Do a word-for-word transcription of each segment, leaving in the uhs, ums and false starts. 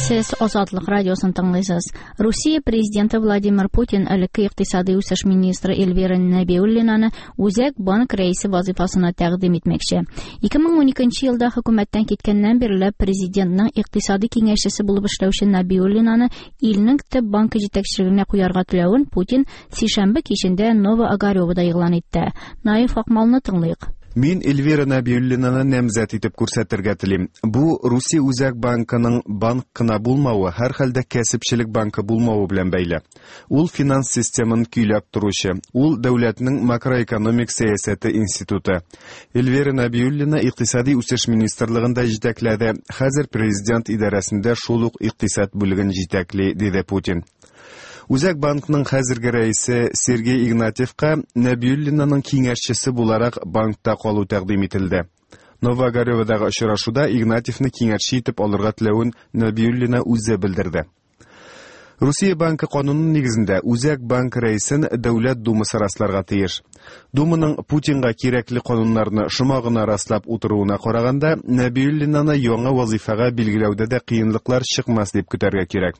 Сез Азатлык радиосын тыңлыйсыз. Русия президенты Владимир Путин элекке икътисади үсеш министры Эльвира Нәбиуллинаны Үзәк банк рәисе вазифасына тәкъдим итмәкче. ике мең уникенче елда хөкүмәттән киткәннән бирле президентның икътисади киңәшчесе булып эшләүче Нәбиуллинаны илнең төп банкы җитәкчелегенә куярга теләвен Путин сишәмбе кичендә Ново-Огарёвода игълан итте. Наиф Акмалны тыңлыйк. Мин Эльвира Нәбиуллинаны намзәт итеп күрсәтергә телим. Бу Русия Үзәк банкының банк кына булмавы, һәр хәлдә кәсепчелек банкы булмавы белән бәйле. Ул финанс системын көйләп торучы, ул дәүләтнең макроэкономик сәясәте институты. Эльвира Нәбиуллина икътисади үсеш министрлыгында җитәкләде, хәзер президент идарәсендә шул ук икътисад бүлеген җитәкли, диде Путин. Үзәк банкның хәзерге рәисе Сергей Игнатьевка Нәбиуллинаның киңәшчесе буларак банкта калу тәкъдим ителде. Ново-Огарёводагы очрашуда Игнатьевны киңәшче итеп алырга теләвен Нәбиуллина үзе белдерде. Русия банкы кануны нигезендә Үзәк банк рәисен Дәүләт Думасы расларга тиеш. Думаның Путинга кирәкле кануннарны шома гына раслап утыруына караганда, Нәбиуллинаны яңа вазифага билгеләүдә дә кыенлыклар чыкмас дип көтәргә кирәк.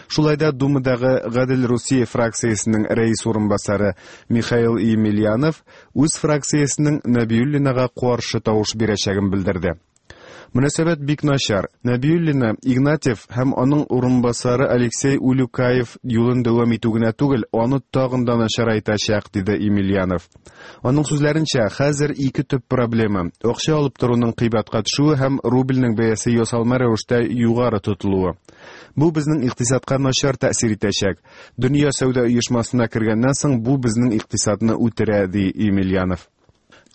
Шулай да Думадагы Гадел Русия фракциясенең рәис урынбасары Михаил Емельянов үз фракциясенең Нәбиуллинага каршы тавыш бирәчәген белдерде. Мөнәсәбәт бик начар. Нәбиуллина Игнатьев һәм аның урынбасары Алексей Улюкаев юлын дәвам итү генә түгел, аны тагын да начарайтачак, диде Емельянов. Аның сүзләренчә, хәзер ике төп проблема: акча алып торуның кыйбатка төшүе һәм рубльнең бәясе ясалма рәвештә югары тотылуы. Бу безнең икътисадка начар тәэсир итәчәк. Дөнья сәүдә оешмасына кергәннән соң бу безнең икътисадны үтерә, ди Емельянов.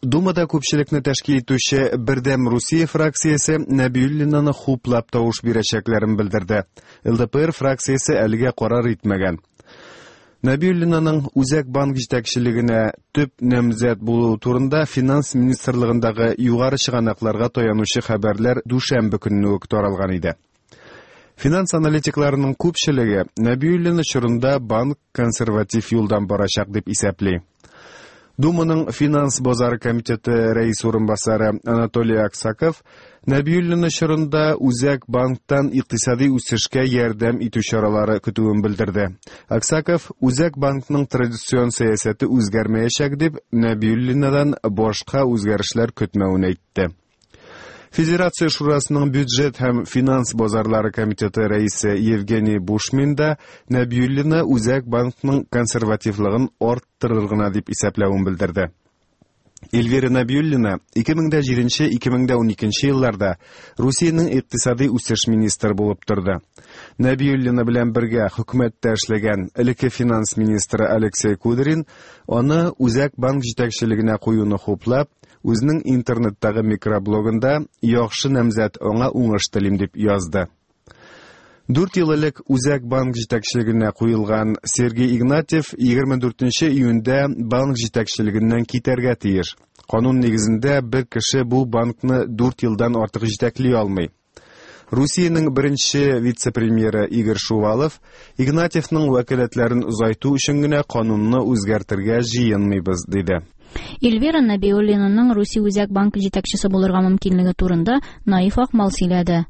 Думада күпчелекне тәшкил итүче Бердәм Русия фракциясе Нәбиуллинаны хуплап тавыш бирәчәкләрен белдерде. Эл Дэ Пэ Эр фракциясе әлегә карар итмәгән. Нәбиуллинаның Үзәк банк җитәкчелегенә төп намзәт булуы турында финанс министрлыгындагы югары чыганакларга таянучы хәбәрләр дүшәмбе көнне үк таралган иде. Финанс аналитикларының күпчелеге Нәбиуллина чорында банк консерватив юлдан барачак дип исәпли. Думаның финанс базары комитеты рәис урынбасары Анатолий Аксаков Нәбиуллина чорында Үзәк банктан икътисади үсешкә ярдәм итү чаралары көтүен белдерде. Аксаков Үзәк банкның традицион сәясәте үзгәрмәячәк дип Нәбиуллинадан башка үзгәрешләр көтмәвен әйтте. Федерация Шурасының бюджет һәм финанс базарлары комитеты рәисе Евгений Бушмин да Нәбиуллина Үзәк банкның консервативлыгын арттырыр гына дип исәпләвен белдерде. Эльвира Нәбиуллина ике мең дә җиденче, ике мең дә уникенче елларда Русиянең икътисади үсеш министры булып торды. Нәбиуллина белән бергә хөкүмәттә эшләгән элекке финанс министры Алексей Кудрин аны Үзәк банк җитәкчелегенә куюны хуплап, үзенең интернеттагы микроблогында яхшы намзәт, аңа уңыш телим дип язды. Дүрт ел элек Үзәк банк җитәкчелегенә куелган Сергей Игнатьев егерме дүртенче июньдә банк җитәкчелегеннән китәргә тиеш. Канун нигезендә бер кеше бу банкны дүрт елдан артык җитәкли алмый. Русиянең беренче вице-премьеры Игорь Шувалов Игнатьевның вәкаләтләрен озайту өчен генә канунны үзгәртергә җыенмыйбыз, диде. Эльвира Нәбиуллинаның Русия Үзәк банкы җитәкчесе булырга мөмкинлеге турында Наиф Акмал сөйләде.